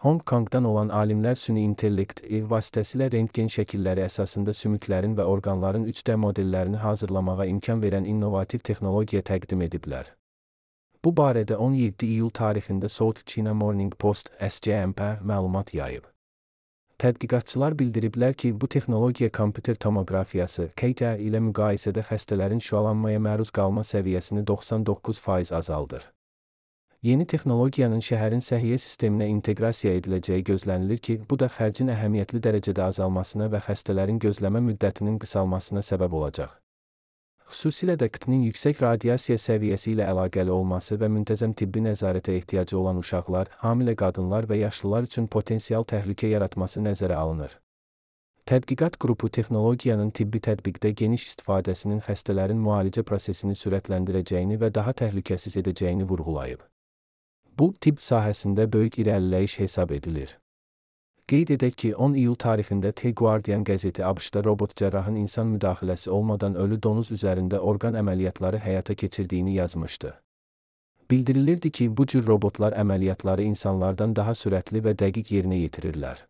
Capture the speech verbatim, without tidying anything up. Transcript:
Hong Kongdan olan alimlər süni intellekt vasitəsilə rentgen şəkilləri əsasında sümüklərin və orqanların üç D modellərini hazırlamağa imkan verən innovativ texnologiya təqdim ediblər. Bu barədə on yeddi iyul tarixində South China Morning Post S C M P məlumat yayıb. Tədqiqatçılar bildiriblər ki, bu texnologiya kompüter tomoqrafiyası K T ilə müqayisədə xəstələrin şüalanmaya məruz qalma səviyyəsini doxsan doqquz faiz azaldır. Yeni texnologiyanın şəhərin səhiyyə sisteminə inteqrasiya ediləcəyi gözlənilir ki, bu da xərcin əhəmiyyətli dərəcədə azalmasına və xəstələrin gözləmə müddətinin qısalmasına səbəb olacaq. Xüsusilə də K T-nin yüksək radiasiya səviyyəsi ilə əlaqəli olması və müntəzəm tibbi nəzarətə ehtiyacı olan uşaqlar, hamilə qadınlar və yaşlılar üçün potensial təhlükə yaratması nəzərə alınır. Tədqiqat qrupu texnologiyanın tibbi tətbiqdə geniş istifadəsinin xəstələrin müalicə prosesini sürətləndirəcəyini və daha təhlükəsiz edəcəyini vurğulayıb. Bu, tibb sahəsində böyük irəliləyiş hesab edilir. Qeyd edək ki, on iyul tarixində The Guardian qəzeti ABŞ-da robot cərrahın insan müdaxiləsi olmadan ölü donuz üzərində orqan əməliyyatları həyata keçirdiyini yazmışdı. Bildirilirdi ki, bu cür robotlar əməliyyatları insanlardan daha sürətli və dəqiq yerinə yetirirlər.